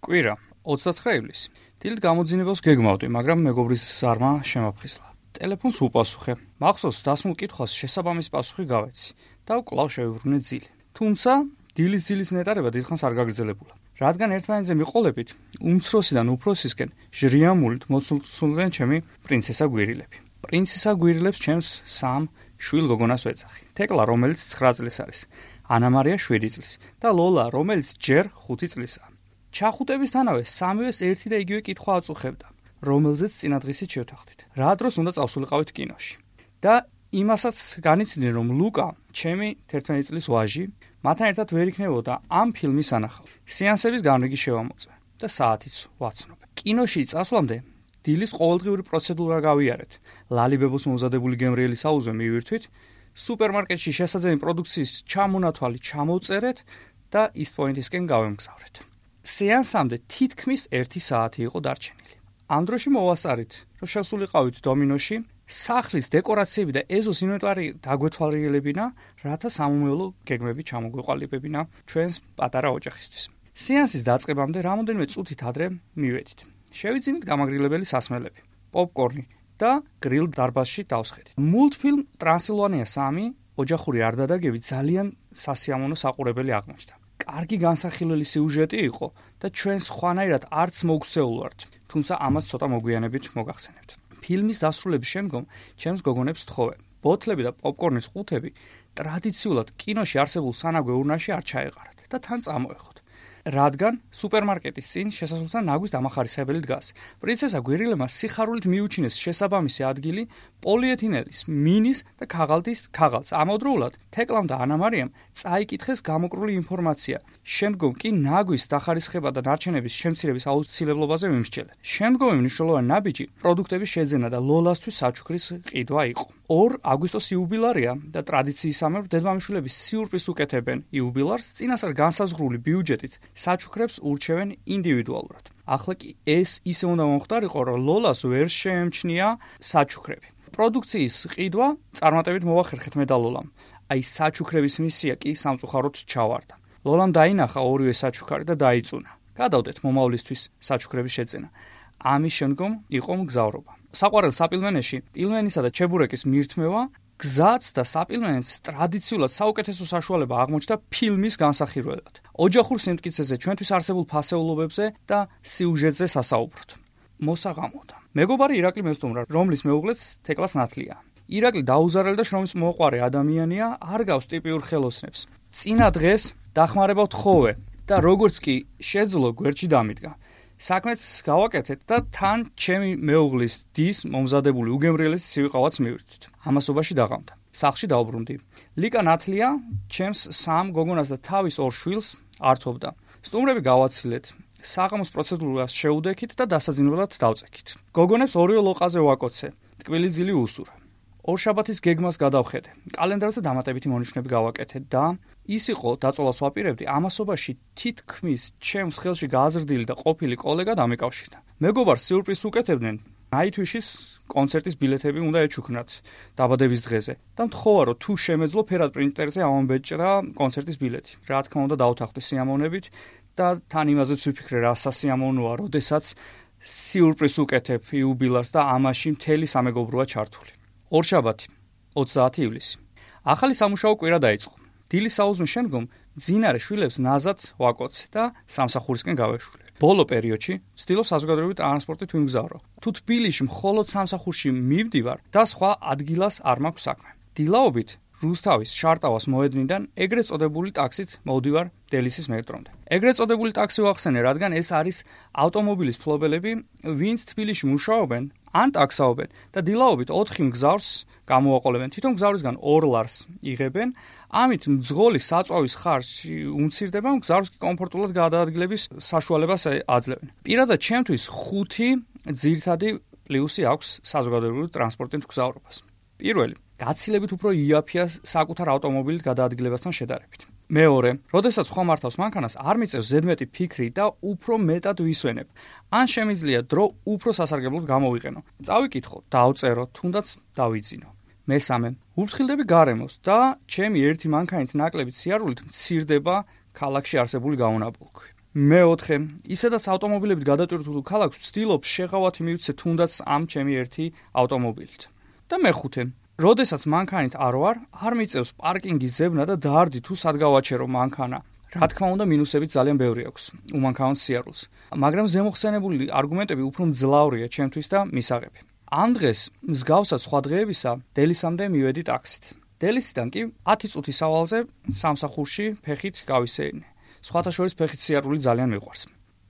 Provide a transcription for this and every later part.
კვირა 29 ივლისი. დილით გამოძინებას გეგმავდი, მაგრამ მეგობრის ზარმა შემაფხიზლა. ტელეფონს უპასუხე. მახსოვს დასმულ კითხვას შესაბამის პასუხი გავეცი და კვლავ შევიბრუნე ძილი. თუმცა დილის ძილის ნეტარება დიდხანს არ გაგრძელებულა. რადგან ერთმანეთზე მიყოლებით, უმცროსიდან უფროსისკენ ჟრიამულით მოცულდნენ ჩემი პრინცესა გვირილები. პრინცესა გვირილებს ჩემს სამ შვილ გოგონას ვეძახი. თეკლა, რომელიც 9 წლის არის, ანა მარია 7 წლის და ლოლა, რომელიც ჯერ 5 წლისაა. ჩახუტებისთანავე სამივეს ერთი და იგივე კითხვა აწუხებდა, რომელზეც წინადღისით შევთანხმდით. რა დროს უნდა წავსულიყავით კინოში. და იმასაც განიცდიდნენ, რომ ლუკა, ჩემი 11 წლის ვაჟი, მათთან ერთად ვერ იქნებოდა ამ ფილმის სანახავი. სეანსების განრიგი შევამოწმე და საათიც ვაცნობ. კინოში წასვლამდე დილის ყოველდღიური პროცედურა გავიარეთ. ლალიბებოს მომზადებული გემრიელის აუზზე მივირთვით, სუპერმარკეტში შესაძლებელი პროდუქციის ჩამონათვალი ჩამოვწერეთ და ისტ-პოინტისკენ გავემგზავრეთ. სეანსამდე თითქმის 1 საათი იყო დარჩენილი. ამ დროში მოვასწარით, რომ შევსულიყავით დომინოში, სახლის დეკორაციები და ეზოს ინვენტარი დაგვეთვალიერებინა, რათა სამომავლო გეგმები ჩამოგვეყალიბებინა ჩვენს პატარა ოჯახისთვის. სეანსის დაწყებამდე რამოდენიმე წუთით ადრე მივედით. შევიძინეთ გამაგრილებელი სასმელები, პოპკორნი და გრილ დარბაზში დავსხედით. მულტფილმ ტრანსილვანია 3 ოჯახური არდადაგები ძალიან სასიამოვნო საყურებელი აღმოჩნდა. კარგი განსახილველი სიუჟეტი იყო და ჩვენ სხვანაირად არც მოგვქცეულ ვართ, თუმცა ამას ცოტა მოგვიანებით მოგახსენებთ. ფილმის დასრულების შემდგომ ჩემს გოგონებს თხოვე. ბოთლები და პოპკორნის ყუთები ტრადიციულად კინოში არსებულ სანაგვე ურნაში არ ჩაეყარათ და თან წამოეხოთ. რადგან სუპერმარკეტის წინ შესასვლელთან ნაგვის დამახარისხებელი დგას. პრინცესა გვირილებმა სიხარულით მიუჩინეს შესაბამისი ადგილი პოლიეთინელის, მინის და ქაღალდს. ამავდროულად თეკლამ და ანა მარიამ წაიკითხეს გამოკრული ინფორმაცია. შემდგომ კი ნაგვის დახარისხება და ნარჩენების შემცირების აუცილებლობაზე მიმსჯელეთ. შემდგომი მნიშვნელოვანი ნაბიჯი პროდუქტების შეძენა და ლოლასთვის საჩუქრის ყიდვა იყო. 2 აგვისტოს იუბილარია და ტრადიციისამებრ დედმამიშვილების სიურპრიზს უკეთებენ იუბილარს, წინასწარ განსაზღვრული ბიუჯეტით საჩუქრებს ურჩევენ ინდივიდუალურად. ახლა კი ეს ისე უნდა მომხდარიყო, რომ ლოლას ვერ შეემჩნია საჩუქრები. პროდუქციის ყიდვა წარმატებით მოვახერხეთ მე და ლოლამ. აი საჩუქრების მისია კი სამწუხაროდ ჩავარდა. ლოლამ დაინახა ორივე საჩუქარი და დაიწუნა. გადავდეთ მომავლისთვის საჩუქრების შეძენა. ამის შემდგომ იყო მგზავრობა. საყვარელ საპილმენეში პილმენისა და ჩებურეკის მირთმევა გზაც და საპილმენეთს ტრადიციულად საუკეთესო საშუალება აღმოჩნდა ფილმის განსახილველად. ოჯახურ სიმტკიცეზე, ჩვენთვის არსებულ ფასეულობებზე და სიუჟეტზე სასაუბროთ. მოსაღამოდა. მეგობარი ირაკლი მესტუმრა, რომლის მეუღლეც თეკლას ნათლია. ირაკლი დაუზარელი და შრომის მოყვარე ადამიანია, არ გავს ტიპიურ ხელოსნებს. წინა დღეს დახმარება ვთხოვე და როგორც კი შეძლო გვერდში დამიდგა. საქმეც გავაკეთეთ და თან ჩემი მეუღლის დის მომზადებული უგემრიელეს ცივი ყავაც მივირთვით. ამასობაში დაღამდა. სახლში დავბრუნდი. ლიკა ნათლია ჩემს 3 გოგონას და თავის 2 შვილს ართობდა. სტუმრები გავაცილეთ. საღამოს პროცედურას შეუდექით და დასაძინებლად დავწექით. გოგონებს ორივე ლოყაზე ვაკოცე. ტკბილი ძილი უსურა. ორშაბათის გეგმას გადავხედე. კალენდარზე დამატებითი მონიშნები გავაკეთე და ის იყო, დაწოლას ვაპირებდი, ამასობაში თითქმის ჩემს ხელში გააზრდილი და ყოფილი კოლეგა დამეკავშირდა. მეგობარს სიურპრიზს უკეთებდნენ. ნაითვიშის კონცერტის ბილეთები უნდა ეჩუქნათ დაბადების დღეზე და მთხოვა, რომ თუ შემეძლო ფერად პრინტერზე ამომბეჭდა კონცერტის ბილეთი. რა თქმა უნდა დავთანხმდი სიამოვნებით და თან იმაზეც ვიფიქრე, რა სასიამოვნოა, როდესაც სიურპრიზს უკეთებ იუბილარს და ამაში მთელი სამეგობროა ჩართული. ორშაბათი 30 ივლისი. ახალი სამუშაო კვირა დაიწყო. დილის საუზმის შემდგომ მძინარე შვილებს ნაზად ვაკოცე და სამსახურისკენ გავეშვილე. ბოლო პერიოდში ვცდილობ საზოგადოებრივი ტრანსპორტით ვიმგზავრო. თუ თბილისში მხოლოდ სამსახურში მივდივარ და სხვა ადგილას არ მაქვს საქმე. დილაობით რუსთავის შარტავას მოედნიდან ეგრეთ წოდებული ტაქსით მოვდივარ დელისის მეტრომდე. ეგრეთ წოდებული ტაქსი ვახსენე, რადგან ეს არის ავტომობილის ფლობელები, ვინც თბილისში მუშაობენ, ან ტაქსაობენ და დილაობით 4 მგზავრს გამოვაყოლებენ. თვითონ მგზავრისგან 2 ლარს იღებენ, ამით მძღოლის საწვავის ხარჯი უმცირდება, მგზავრს კი კომფორტულად გადაადგილების საშუალებას აძლევენ. პირადად ჩემთვის 5 ძირითადი პლუსი აქვს საზოგადოებრივი ტრანსპორტით მგზავრობას. პირველი, გაცილებით უფრო იაფია საკუთარ ავტომობილით გადაადგილებასთან შედარებით. მეორე, როდესაც სხვა მართავს მანქანას, არ მიწევს ზედმეტი ფიქრი და უფრო მეტად ვისვენებ. ან შემიძლია დრო უფრო სასარგებლოდ გამოვიყენო. წავიკითხო, დავწერო, თუნდაც დავიძინო. მესამე, ვუფრთხილდები გარემოს და ჩემი ერთი მანქანით ნაკლებით სიარულით მცირდება ქალაქში არსებული გაუნაბოლქვი. მეოთხე, ისედაც ავტომობილებით გადატვირთულ ქალაქს ვცდილობს შეღავათი მივცე თუნდაც ამ ჩემი ერთი ავტომობილით. და მეხუთე, როდესაც მანქანით არ მიწევს პარკინგის ძებნა და დაარდი თუ სად გავაჩერო მანქანა. რა თქმა უნდა, მინუსებიც ძალიან ბევრი აქვს უმანქანო სიარულს, მაგრამ ზემოხსენებული არგუმენტები უფრო მძლავრია ჩემთვის და მისაღები. ამ დღეს მსგავსად სხვა დღეებისა დელისამდე მივედი ტაქსით. დელისიდან კი 10 წუთის სავალზე სამსახურში ფეხით გავისეირნე. სხვათა შორის ფეხით სიარული ძალიან მიყვარს.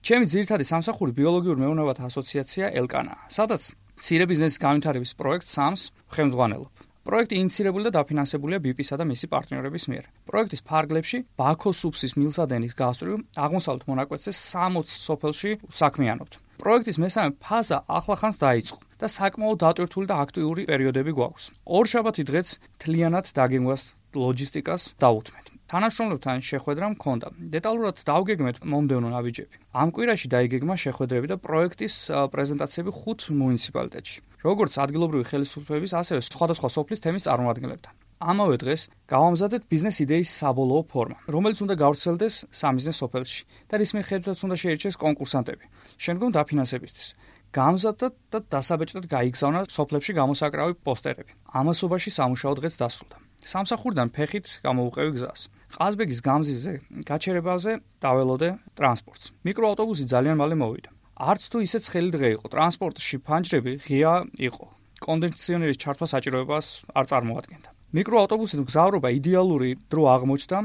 ჩემი ძირითადი სამსახური ბიოლოგიურ მეურნეობათა ასოციაცია ელკანაა, სადაც მცირე ბიზნესის განვითარების პროექტს SAMS ხელმძღვანელობ. პროექტი ინიცირებული და დაფინანსებულია BIP-ისა და მისი პარტნიორების მიერ. პროექტის ფარგლებში ბაქოს სუფსის მილსადენის გასწვრივ აღმოსავლეთ მონაკვეთზე 60 სოფელში საქმიანობთ. პროექტის მესამე ფაზა ახლახანს დაიწყო და საკმაოდ დატვირთული და აქტიური პერიოდები გვაქვს. ორშაბათი დღეც თლიანად დაგეგმვას ლოჯისტიკას დავუთმეთ. თანამშრომლებთან შეხვედრა მქონდა. დეტალურად დავგეგმეთ მომდევნო ნაბიჯები. ამ კვირაში დაიგეგმა შეხვედრები და პროექტის პრეზენტაციები 5 მუნიციპალიტეტში, როგორც ადგილობრივი ხელისუფლების, ასევე სხვადასხვა სოფლის თემის წარმომადგენლებთან. ამავე დღეს გავამზადეთ ბიზნეს იდეის საბოლოო ფორმა, რომელიც უნდა გავრცელდეს სამიზნეს სოფელში და რის მიხედვითაც უნდა შეირჩეს კონკურსანტები, შემდგომ დაფინანსებისთვის. გამზადდა და დასაბეჭდად გაიგზავნა სოფლებში გამოსაკრავი პოსტერები. ამასობაში სამუშაო დღეც დასრულდა. სამსახურიდან ფეხით გამოვუყევი გზას. ყაზბეგის გამზირზე გაჩერებაზე დაველოდე ტრანსპორტს. მიკროავტობუსი ძალიან მალე მოვიდა. არც თუ ისე ცხელი დღე იყო, ტრანსპორტში ფანჯრები ღია იყო. კონდიციონერის ჩართვა საჭიროებას არ წარმოადგენდა. მიკროავტობუსით მგზავრობა იდეალური დრო აღმოჩნდა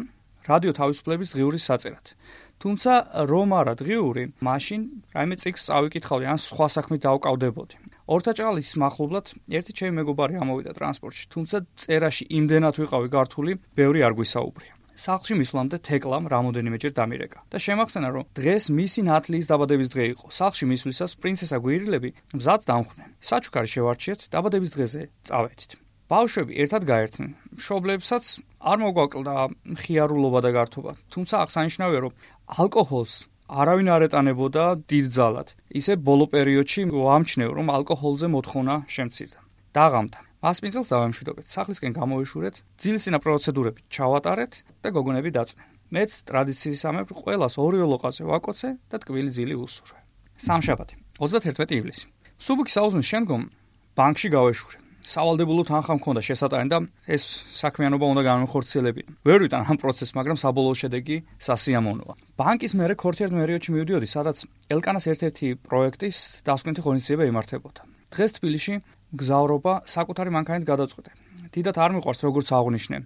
რადიო თავისუფლების დღიურის საწერად. თუმცა რომ არა დღიური, მაშინ რაიმე წიგნს წავიკითხავდი ან სხვა საქმით დავკავდებოდი. ორთაჭალის მახლობლად ერთი ჩემი მეგობარი ამოვიდა ტრანსპორტში, თუმცა წერაში იმდენად ვიყავი გართული, ბევრი არ გვისაუბრია. სახლში მისვლამდე თეკლამ რამოდენიმეჯერ დამირეკა და შემახსენა, რომ დღეს მისი ნათლიის დაბადების დღე იყო. სახლში მისვლისას პრინცესა გვირილები მზად დამხვდნენ. საჩუქარი შევარჩიეთ, დაბადების დღეზე წავედით. ბავშვები ერთად გაერთნენ. მშობლებსაც არ მოგვაკლდა მხიარულობა და გართობა, თუმცა აღსანიშნავია, რომ ალკოჰოლს არავინ არ ეტანებოდა დიდძალად. ისე ბოლო პერიოდში ვამჩნევ, რომ ალკოჰოლზე მოთხოვნა შემცირდა. დაღამდა. მასპინძელს დავემშვიდობეთ, სახლისკენ გამოვიშურეთ, ძილსინა პროცედურები ჩავატარეთ და გოგონები დაწვნენ. მეც ტრადიციისამებრ ყველას ორი ოლოყაზე ვაკოცე და ტკბილი ძილი ვუსურვე. სამშაბათი, 31 ივლისი. სუბუქი საუზმის შემდგომ ბანკში გავეშურე. სავალდებულო თანხა მქონდა შესატანი და ეს საქმიანობა უნდა განვიხორციელებინა. ვერ ვიტან ამ პროცესს, მაგრამ საბოლოო შედეგი სასიამოვნოა. ბანკის მერე ქორთიერ პერიოდში მივდიოდი, სადაც ელკანას ერთ-ერთი პროექტის დასკვნითი ღონისძიება იმართებოდა. დღეს თბილისში მგზავრობა საკუთარი მანქანით გადაწყვეტე. დიდად არ მიყვარს როგორც აღვნიშნე,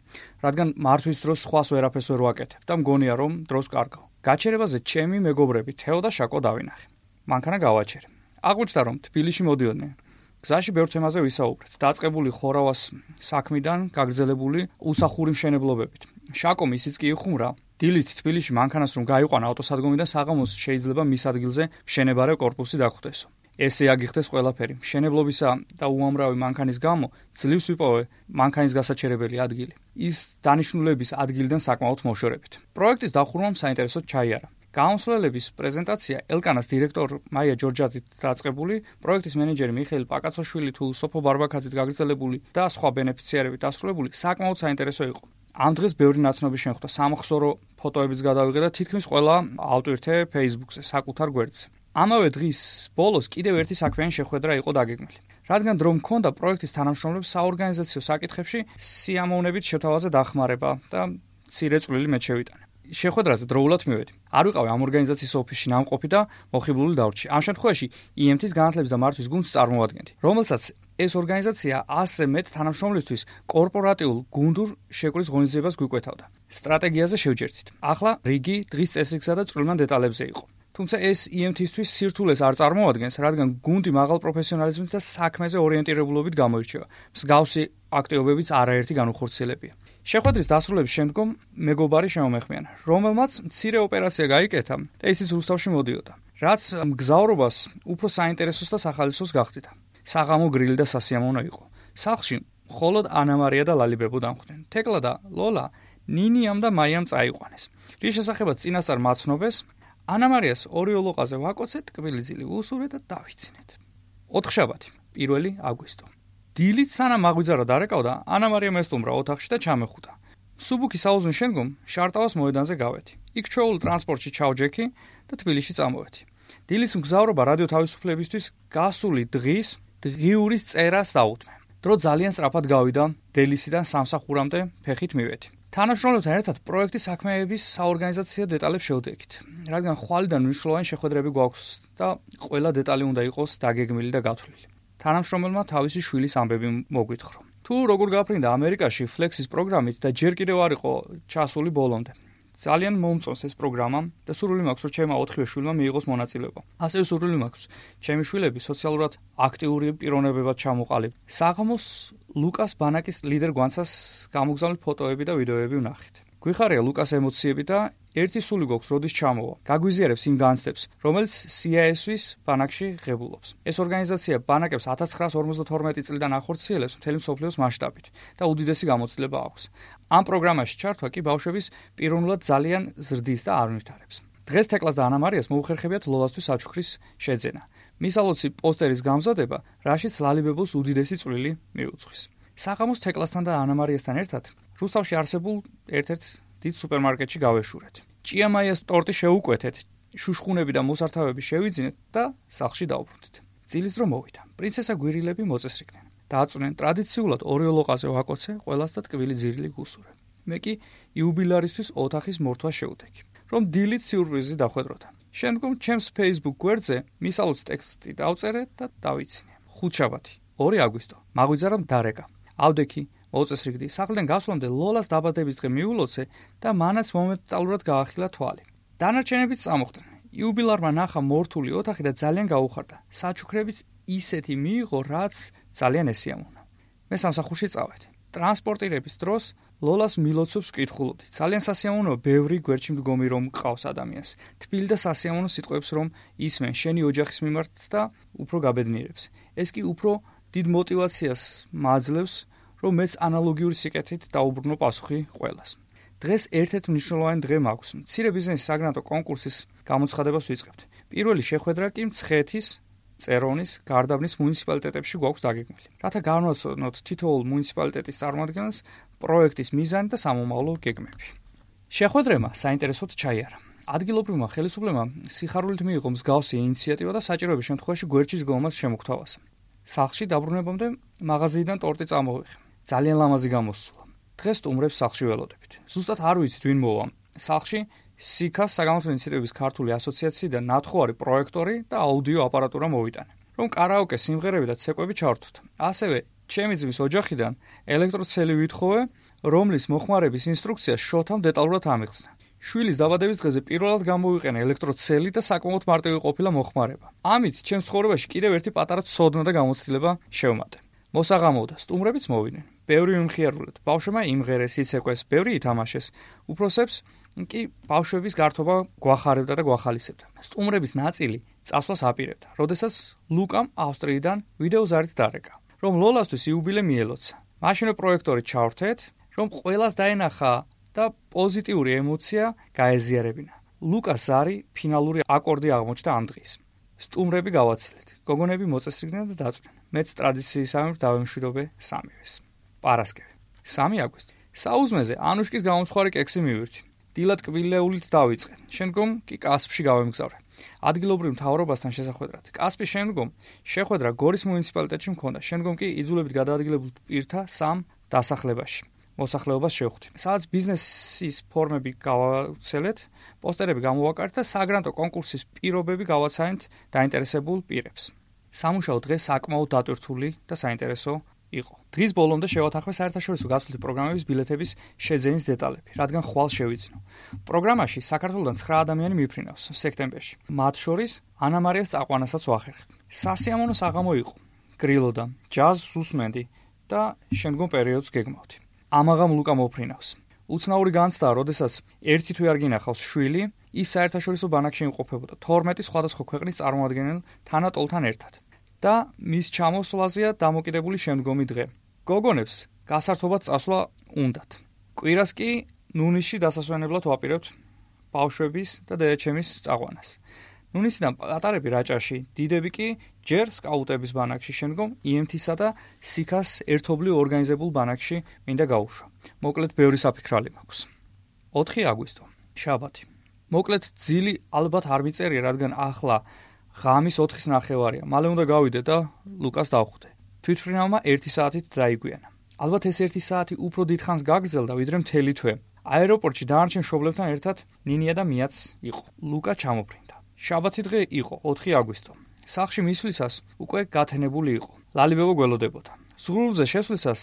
რადგან მართვის დროს სხვას ვერაფერს ვერ ვაკეთებ და მგონია რომ დროს კარგავ. გაჩერებაზე ჩემი მეგობრები თეო და შაკო დავინახე. მანქანა გავაჩერე. აღმოჩნდა რომ თბილისში მოდიოდნენ. გზაში ბევრ თემაზე ვისაუბრეთ. დაწყებული ხორავას საქმიდან გაგრძელებული უსახური მშენებლობებით. შაკო ისიც კი იხუმრა. დილით თბილისში მანქანას რომ გაიყვანა ავტოსადგომიდან საღამოს შეიძლება მის ადგილზე მშენებარე კორპუსი დაგხვდესო. ესე აგიხდეს ყველაფერი. მშენებლობისა და უამრავი მანქანის გამო ძლივს ვიპოვე მანქანის გასაჩერებელი ადგილი. ის დანიშნულების ადგილიდან საკმაოდ მოშორებით. პროექტის დახურვამ საინტერესოდ ჩაიარა. გამოსვლელების პრეზენტაცია ელკანას დირექტორ მაია ჯორჯატით დაწყებული, პროექტის მენეჯერი მიხეილ პაკაცოშვილი თუ სოფო ბარბაკაძით გაგრძელებული და სხვა ბენეფიციარებით დასრულებული საკმაოდ საინტერესო იყო. ამ დღეს ბევრი ნაცნობი შემხვდა, სამახსოვრო ფოტოებიც გადავიღე და თითქმის ყველა ავტვირთე Facebook-ზე, საკუთარ გვერდზე. ამავე დღის ბოლოს კიდევ ერთი საქმიანი შეხვედრა იყო დაგეგმილი. რადგან დრო მქონდა პროექტის თანამშრომლებს საორგანიზაციო საკითხებში სიამოვნებით შეთავაზე დახმარება და მცირე წვლილი მე შევიტანე. შეხვედრაზე დროულად მივედი. არ ვიყავი ამ ორგანიზაციის ოფისში ნამყოფი და მოხიბლული დავრჩი. ამ შემთხვევაში IMT-ის განათლების და მართვის გუნდს წარმოვადგენდი, რომელსაც ეს ორგანიზაცია 100-ზე მეტ თანამშრომლისთვის კორპორატიულ გუნდურ შეკვრის ღონისძიებას გვიკვეთავდა. სტრატეგიაზე შევჯერდით. ახლა რიგი დღის წესრიგსა და წვრილმან დეტალებზე იყო. თუმცა ეს IMT-ისთვის სირთულეს არ წარმოადგენს, რადგან გუნდი მაღალ პროფესიონალიზმით და საქმეზე ორიენტირებულობით გამოირჩევა. მსგავსი აქტივობებიც არაერთი განუხორციელებია. შეხვედრის დასრულების შემდგომ მეგობარი შემომეხმიანა, რომელმაც მცირე ოპერაცია გაიკეთა და ისიც რუსთავში მოდიოდა, რაც მგზავრობას უფრო საინტერესოს და სახალისოს გახდიდა. საღამო გრილი და სასიამოვნო იყო. სახლში მხოლოდ ანა-მარია და ლალიბებო დამხვდნენ. თეკლა და ლოლა ნინიამ და მაიამ წაიყვანეს. რის შესახებაც წინასწარ მაცნობეს, ანა-მარიას ორი ოლოყაზე ვაკოცეთ, ტკბილი ძილი ვუსურვე და დავიცინეთ. 4 აგვისტო. დილით სანამ მაგვიძარა დარეკავდა, ანა-მარია მესტუმრა ოთახში და ჩამეხუთა. სუბუქი საუზმის შემდგომ შარტავას მოედანზე გავედი. იქ ჩვეულ ტრანსპორტში ჩავჯექი და თბილისში წამოვედი. დილის მგზავრობა რადიო თავისუფლებისთვის გასული დღის დღიურის წერას დაუთმე. დრო ძალიან სწრაფად გავიდა, დელისიდან სამსახურამდე ფეხით მივედი. თანამშრომლებთან ერთად პროექტის საქმეების საორგანიზაციო დეტალებს შევდეგით, რადგან ხვალიდან მნიშვნელოვანი შეხვედრები გვაქვს და ყველა დეტალი უნდა იყოს დაგეგმილი და გათვლილი. თანამშრომელმა თავისი შვილის ამბები მოგვითხრა. თუ როგორ გაფრინდა ამერიკაში Flex-ის პროგრამით და ჯერ კიდევ არ იყო ჩასული ბოლომდე. ძალიან მომწონს ეს პროგრამა და სურვილი მაქვს, რომ ჩემმა 4 შვილმა მიიღოს მონაწილეობა. ასევე სურვილი მაქვს, ჩემი შვილები სოციალურად აქტიური პიროვნებებად ჩამოყალიბ. საღამოს ლუკას ბანაკის ლიდერ გვანცას გამოგზავნილ ფოტოები და ვიდეოები ვნახეთ. გვიხარია ლუკას ემოციები და ერთი სული გვაქვს, როდის ჩამოვა. გაგვიზიარებს იმ განცდებს, რომელიც CIS-ვის ბანაკში ღებულობს. ეს ორგანიზაცია ბანაკებს 1952 წლიდან ახორციელებს მთელი მსოფლიოს მასშტაბით და უდიდესი გამოცდილება აქვს. ამ პროგრამაში ჩართვა კი ბავშვების პიროვნულად ძალიან ზრდის და არ ვნვითარებს. დღეს თეკლას და ანა მარიას მოუხერხებიათ ლოლასთვის საჩუქრის შეძენა. მისალოცი პოსტერის გამზადება, რაშიც ლალიბებულს უდიდესი წვლილი მიუძღვის. საღამოს თეკლასთან და ანა მარიასთან ერთად რუსთავში არსებულ ერთ-ერთ დიდ სუპერმარკეტში გავეშურეთ. ჭიამაიას ტორტი შევუკვეთეთ, შუშხუნები და მოსართავები შევიძინეთ და სახლში დავბრუნდით. წილის დრო მოვიდა. პრინცესა გვირილები მოწესრიგდნენ. დააწვნენ ტრადიციულად ორიოლოყაზე ვაკოცე, ყველას და ტკბილი ძირილი გუსურე. მე კი იუბილარისთვის ოთახის მორთვა შევდეგი, რომ დილით სიურპრიზი დახვედროდა. შემდგომ ჩემს Facebook გვერდზე მისალოც ტექსტი დავწერე და დავიცინე. ხუთშაბათი, 2 აგვისტო, მაგვიძარა დარეკა. ავდექი მოწესრიგდი, სახლიდან გასვლამდე ლოლას დაბადების დღე მიულოცე და მანაც მომენტალურად გაახილა თვალი. დანარჩენებიც წამოხდნენ. იუბილარმა ნახა მორთული ოთახი და ძალიან გაუხარდა. საჩუქრებიც ისეთი მიიღო, რაც ძალიან ესიამოვნა. მე სამსახურში წავედი. ტრანსპორტირების დროს ლოლას მილოცობს ვკითხულობდი. ძალიან სასიამოვნოა ბევრი გვერდში მდგომი რომ მყავს ადამიანს. თბილი და სასიამოვნო სიტყვებს რომ ისმენ შენი ოჯახის მიმართ და უფრო გაბედნიერებს. ეს კი უფრო დიდ мотивაციას მაძლევს, რომ მეც ანალოგიური სიკეთით დაუბრუნო პასუხი ყველას. დღეს ერთ-ერთ მნიშვნელოვანი დღე მაქვს. მცირე ბიზნესის საგრანტო კონკურსის გამოცხადებას ვიწყებთ. პირველი შეხვედრა კი მცხეთის, წერონის, გარდაბნის მუნიციპალიტეტებში გვაქვს დაგეგმილი. რათა განვაცნოთ თითოეულ მუნიციპალიტეტის წარმოადგენელს პროექტის მიზანი და სამომავლო გეგმები. შეხვედრება საინტერესოდ ჩაიარა. ადგილობრივმა ხელისუფლებამ სიხარულით მიიღო მსგავსი ინიციატივა და საჭიროების შემთხვევაში გვერდში ზგომას შემოგთავაზა. სახლში დაბრუნებამდე მაღაზიიდან ტორტი წამოვიღე. ძალიან ლამაზი გამოსულა. დღეს სტუმრებს სახლში ველოდებით. ზუსტად არ ვიცით ვინ მოვა. სახლში სიქას საგამოთმო ინიციატივების ქართული ასოციაციიდან ნათხოვარი პროექტორი და აუდიო აპარატურა მოვიტანე, რომ კარაოკე სიმღერები და ცეკვები ჩავრთოთ. ასევე ჩემი ძმის ოჯახიდან ელექტროცელი ვითხოვე, რომლის მოხმარების ინსტრუქციას შოთამ დეტალურად ამიღწნა. შვილის დაბადების დღეზე პირველად გამოვიყენე ელექტროცელი და საკმაოდ მარტივი ყოფილა მოხმარება. ამით ჩემს ცხოვრებაში კიდევ ერთი პატარა ცოდნა და გამოცდილება შევმატე. მოსაღამოვდა, სტუმრებიც მოვიდნენ. ბევრი მიმხიარულეთ. ბავშვებმა იმღერეს, იცეკვეს, ბევრი ითამაშეს. უფროსებს კი ბავშვების გართობა გვახარებდა და გვახალისებდა. სტუმრების ნაწილი წასვლას აპირებდა, როდესაც ლუკამ ავსტრიიდან ვიდეოზარით დარეკა, რომ ლოლასთვის იუბილე მიელოცა. მაშინვე პროექტორი ჩავრთეთ, რომ ყველას დაენახა და პოზიტიური ემოცია გაეზიარებინა. ლუკას ზარი ფინალური აკორდი აღმოჩნდა ამ დღის. სტუმრები გავაცილეთ. გოგონები მოწესრიგდნენ და დაწვნენ. მეც ტრადიციისამებრ დავემშვიდობე სამივეს. პარასკევი, 3 აგვისტო. საუზმეზე ანუშკის გამომცხარი კექსი მივირთი. დილად კბილეულით დავიწყე. შემდგომ კი კასპში გავემგზავრე. ადგილობრივ მთავრობასთან შესახვედრად. კასპის შემდგომ შეხვედრა გორის მუნიციპალიტეტში მქონდა. შემდგომ კი იძულებით გადაადგილებულ პირთა 3 დასახლებაში. მოსახლეობას შევხვდი. სადაც ბიზნესის ფორმები გავაცელეთ, პოსტერები გამოვაკარეთ და საგრანტო კონკურსის პირობები გავაცანით დაინტერესებულ პირებს. სამუშაო დღე საკმაოდ დატვირთული და საინტერესო იყო. დღის ბოლომდე შევათანხმე საერთაშორისო გასვლითი პროგრამების ბილეთების შეძენის დეტალები, რადგან ხვალ შევიძინო. პროგრამაში საქართველოდან 9 ადამიანი მიფრინავს სექტემბერში. მათ შორის ანა მარიას წაყვანასაც ვახერხებ. სასიამოვნო საღამო იყო. გრილოდა, ჯაზს უსმენდი და შემდგომ პერიოდს გეგმავდი. ამაღამ ლუკა მოფრინავს. უცნაური განცდაა, როდესაც ერთი თვე არ გინახავს შვილი, ის საერთაშორისო ბანაკში იმყოფებოდა 12 სხვადასხვა ქვეყნის წარმოადგენელ თანატოლთან ერთად. და მის ჩამოსვლაზეა დამოკიდებული შემდგომი დღე. გოგონებს გასართობად წასვლა უნდათ. კვირას კი ნუნისში დასასვენებლად ვაპირებთ ბავშვების და დედაჩემის წაყვანას. ნუნისიდან პატარები რაჭაში, დიდები კი ჯერ სკაუტების ბანაკში, შემდგომ IMT-სა და სიქას ერთობლივ ორგანიზებულ ბანაკში მინდა გაუშვა. მოკლედ ბევრი საფიქრალი მაქვს. 4 აგვისტო, შაბათი. მოკლედ ძილი ალბათ არ მიწერია, რადგან ახლა ღამის 4-ის ნახევარია. მალე უნდა გავიდე და ლუკას დავხვდე. თვითმფრინავმა 1 საათით დაიგვიანა. ალბათ ეს 1 საათი უფრო დიდხანს გაგრძელდა, ვიდრე მთელი თვე. აეროპორტში დანარჩენ მშობლებთან ერთად ნინია და მიაც იყო. ლუკა ჩამოფრინდა. შაბათი დღე იყო, 4 აგვისტო. სახლში მისვლისას უკვე გათენებული იყო. ლალიბებო გველოდებოდა. ზღურბლზე შესვლისას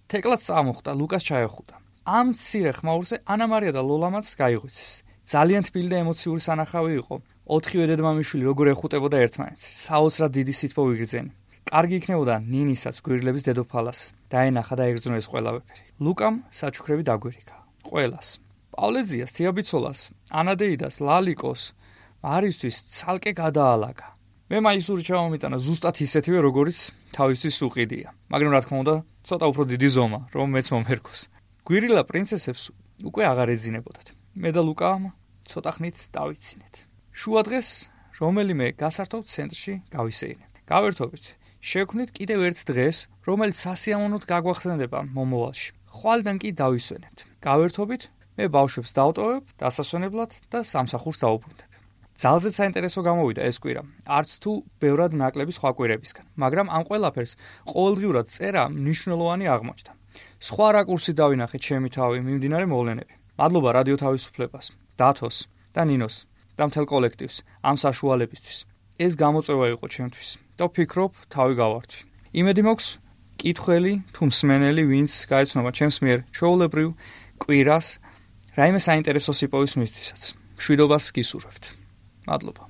თეკლაც წამოხდა, ლუკას ჩაეხუტა. ამ მცირე ხმაურზე ანა მარია და ლოლამაც გაიღვიძეს. ძალიან თბილი და ემოციური სანახავი იყო. 4-ვე დედმამიშვილი როგორ ეხუტებოდა ერთმანეთს. საოცრად დიდი სითბო ვიგრძენი. კარგი იქნებოდა ნინისაც გვირილების დედოფალას. დაენახა და ეგრძნო ეს ყველაფერი. ლუკამ საჩუქრები დაგვირიქა. ყველას. პავლეძიას, თიაბიცოლას, ანადეიდას, ლალიკოს, მარისთვის ცალკე გადაალაგა. მე მაისური ჩავამიტანა ზუსტად ისეთივე, როგორიც თავისთვის უყიდია. მაგრამ რა თქმა უნდა, ცოტა უფრო დიდი ზომა, რომ მეც მომერკოს. გვირილა პრინცესებს უკვე აღარ ეძინებოდათ. მე და ლუკამ ცოტა ხნით დავიცინეთ. შუა დღეს რომელიმე გასართობ ცენტრში გავისეირნებთ. გავერთობით. შევქმნით კიდევ ერთ დღეს, რომელიც სასიამოვნოდ გაგვახსენდება მომავალში. ხვალიდან კი დავისვენებთ. გავერთობით, მე ბავშვებს დავტოვებ დასასვენებლად და სამსახურს დავუბრუნდებ. ძალზედ საინტერესო გამოვიდა ეს კვირა, არც თუ ბევრად ნაკლები სხვა კვირებისგან, მაგრამ ამ ყველაფერს ყოველდღიურად წერა მნიშვნელოვანი აღმოჩნდა. სხვა რაკურსით დავინახე ჩემი თავი, მიმდინარე მოვლენები. მადლობა რადიო თავისუფლებას, დათოს და ნინოს და მთელ კოლექტივს ამ საშუალებისთვის. ეს გამოწვევა იყო ჩემთვის და ვფიქრობ, თავი გავართვი. იმედი მაქვს, კითხველი თუ მსმენელი, ვინც გაეცნობა ჩემს მიერ ჩვეულებრივ კვირას, რაიმე საინტერესო სიპოვის მისთვისაც. მშვიდობას გისურვებთ. მადლობა.